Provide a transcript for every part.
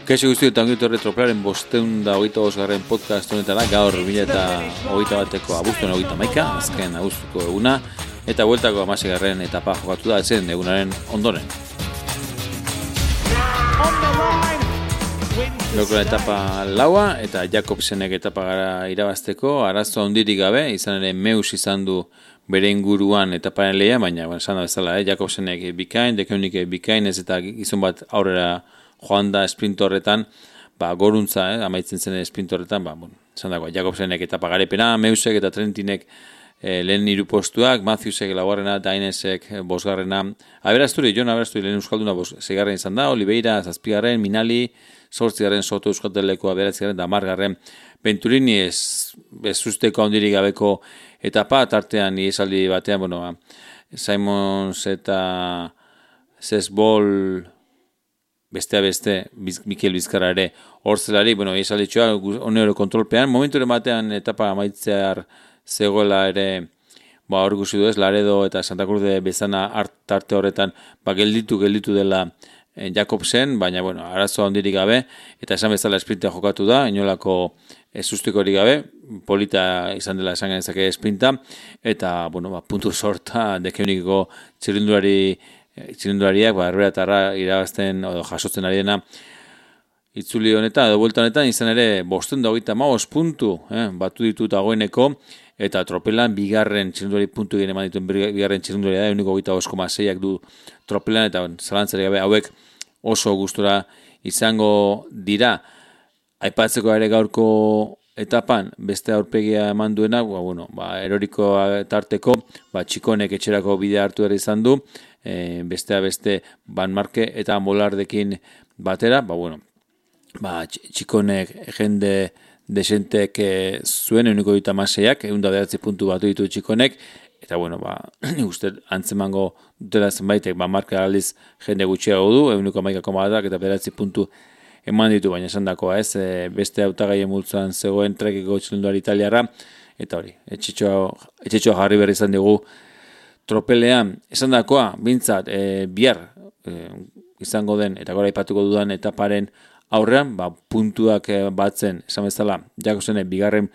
Kaixo guzti eta ongitu horre Tropelaren 525. podcast honetara, gaur 2021ko abuztuan 31, azken abuztuko eguna, eta bueltako 16. etapa jokatu da ezen egunaren ondoren. Gaurkoan etapa laua eta Jakobsenek etapa gara irabazteko, arazo handirik gabe, izan ere Meus izan du bere inguruan etaparen lehia, baina esan da bezala, Jakobsenek bikain, Dekeunik bikain, ez eta gizon bat aurrera joan da sprint horretan, goruntza, amaitzen zen sprint horretan, esan dago, Jakobsenek etapa garepena, Meusek eta Trentinek lehen 3 postuak, Matthewsek laugarrena, Dainesek bosgarrena, Jon Aberasturi lehen euskalduna 6. izan da, Oliveira 7. Minali 8. Soto Euskaldelekoa 9. da 10. Venturini ez usteko handirik gabeko etapa, tartean iesaldi batean, Simons eta Zesbol beste Mikel Bizkarra ere horzelari, iesalditxoa onero kontrolpean, momentu batean etapa amaitzear zegoela ere, hor guzi du ez, Laredo eta Santa Cruz de Bezana tarte horretan, gelditu dela Jakobsen, baina, arazo handirik gabe, eta esan bezala sprinta jokatu da, inolako susteko hori gabe, polita izan dela esan genezake sprinta, eta, puntu sorta, Dekeunikeko txirindulariak, erbeatarra irabazten, jasotzen ari dena, itzuli honetan, edo buelta honetan, izan ere, 525 puntu, batu ditut dagoeneko, eta Tropelan bigarren txirindulari puntu egin eman dituen bigarren txirindulari da, 1,25,6ak du Tropelan, eta zalantzari gabe hauek oso gustura izango dira. Aipatzeko ere gaurko etapan, beste aurpegia eman duena, eroriko tarteko, Txikonek etxerako bidea hartu ere izan du, beste Van Marke eta Molardekin batera, Txikonek jende desentek zuen 1,26ak, 109 puntu batu ditu Txikonek, eta uste antzemango dutela zenbaitek, Marka aldiz jende gutxiago du, 1,11ak eta 9 puntu eman ditu, baina esan dakoa ez, beste hautagaien multzoan zegoen trekiko txilunduari italiarra, eta hori, etxetxoa jarri berri izan dugu Tropelean, esan dakoa, bintzat, bihar izango den, eta gora ipatuko dudan etaparen aurrean, puntuak batzen, esan bezala, Jakobsenek bigarren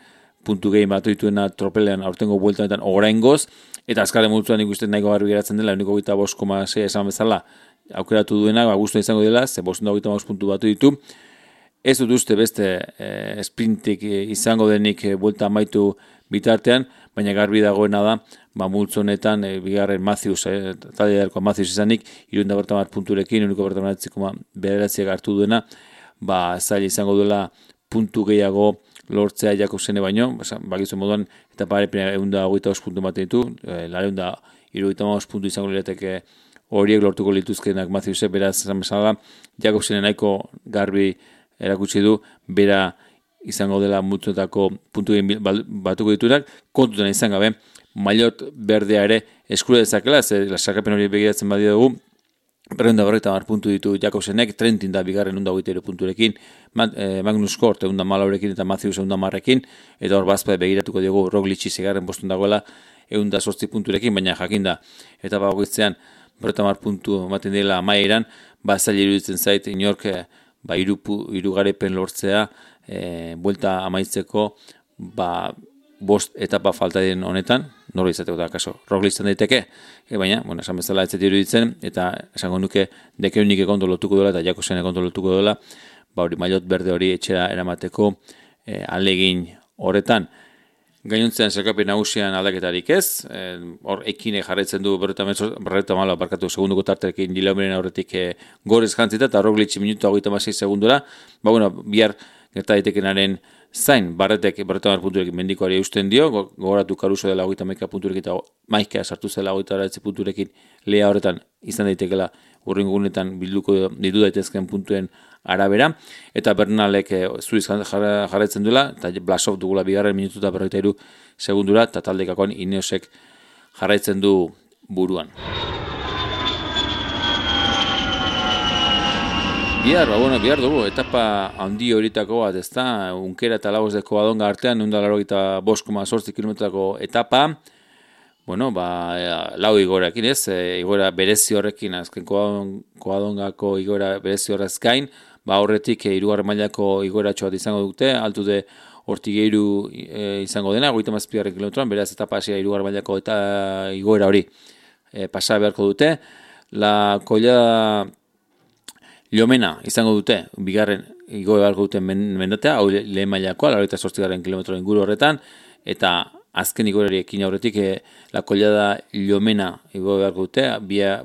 puntu gehien batu dituena Tropelean aurtengo bueltanetan oraingoz, eta azkarren multzuan ikusten nahiko garbi geratzen dela, 1,25,6 esan bezala, aukeratu duena, guztua izango dela, ze 525 puntu batu ditu. Ez dut uste beste sprintik izango denik buelta amaitu bitartean, baina garbi dagoena da, multzo honetan, bigarren Matthews, talde darko Matthews izanik, 310 punturekin, 1,9,9 hartu duena, zaila izango duela puntu gehiago lortzea Jakobsene baino, bakizu moduan, eta parepena 125 puntu baten ditu, 375 puntu izango lirateke horiek lortuko lituzkenak Matthewsek, beraz esan bezala, Jakobsene nahiko garbi erakutsi du, bera izango dela multzoetako puntu batuko ditunak, kontutan izan gabe, maillot berdea ere eskura dezakela, sarkapen hori begiratzen badia dugu, 250 puntu ditu Jakobsenek, Trentin da bigarren 123 punturekin, Magnus Kort 114rekin eta Matthews 110rekin, eta hor bazpa begiratuko dugu Roglic 6. postun dagoela 108 punturekin, baina jakinda eta bagoitzean 50 puntu ematen dela amaieran, zaila iruditzen zait inork hiru garepen lortzea, buelta amaitzeko, 5 etapa falta den honetan, nora izateko da, kaso, Roglic izan daiteke, baina, esan bezala ez zait iruditzen, eta esango nuke Dekeunik kondo lotuko dela, eta Jakobsenek kondo lotuko dela, maillot berde hori etxera eramateko alegin horretan. Gainontzean zerkapen nagusian aldaketarik ez, hor ekine jarraitzen du 40 barkatu segunduko tarterekin Gilaumeren aurretik gorez jantzita, eta Roglic minutu 26 segundura, bihar gerta daitekenaren zain, Barretek 50 punturekin mendikoari eusten dio, gogoratu Caruso dela 31 punturekin eta Maikea sartu zela 29 punturekin lehia horretan izan daitekela urrengo gunetan bilduko ditu daitezken puntuen arabera, eta Bernalek zuriz jarraitzen duela, eta Blasov dugula bigarren minutu eta 43 segundura, eta taldekakoan Ineosek jarraitzen du buruan. Bihar dugu, etapa handi horitako bat, ez da, Unkera eta Lagos de Covadonga artean, 185,8 kilometrako etapa, lau igorakin ez, igora berezi horrekin, azken Covadongako igora berezi horrez gain, horretik hirugarren mailako igoeratxo bat izango dute, altude hortik izango dena, 37 kilometroan, beraz etapa hasia hirugarren mailako eta igoera hori pasa beharko dute. La Collada Llomena izango dute, bigarren igoe beharko duten mendatea, hau lehen mailakoa, 48 kilometro inguru horretan, eta azken igoerariekin aurretik La Collada Llomena igoe beharko dute,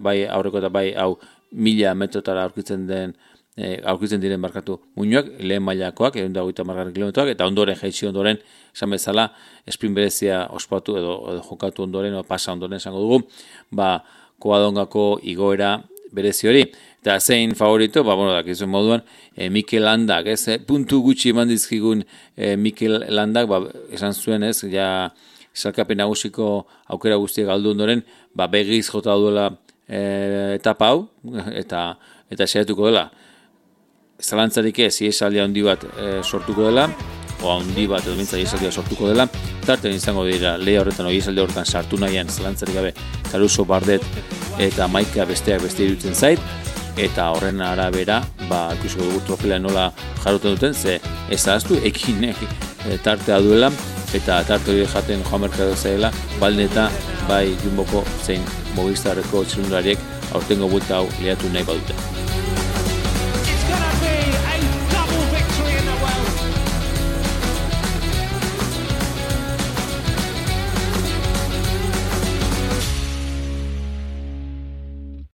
bai aurreko eta bai hau 1000 metrotara aurkitzen diren barkatu muinoak, lehen mailakoak, 130 kilometroak, eta ondoren jaitsi ondoren, esan bezala, sprint berezia ospatu edo jokatu ondoren, o pasa ondoren esango dugu, Koadongako igoera berezi hori. Eta zein favorito, dakizuen moduan, Mikel Landak, puntu gutxi eman dizkigun Mikel Landak, esan zuen salkapen nagusiko aukera guztiak galdu ondoren, begiz jota duela etapa hau, eta saiatuko dela. Zalantzarik ez, iesaldia handi bat sortuko dela, handi bat edo mintza iesaldia sortuko dela, tarten izango dira lehia horretan, iesaldia horretan sartu nahian, zalantzarik gabe, Caruso, Bardet eta Maika besteak beste irutzen zait, eta horren arabera, ikusiko dugu trofela nola jarroten duten, ze ez ahaztu, ekinek tartea duela, eta tarte hori jaten Juan Mercado zaila, baldin eta bai Jumboko zein Movistarreko txirrindulariek aurtengo buelta hau lehatu nahi badute.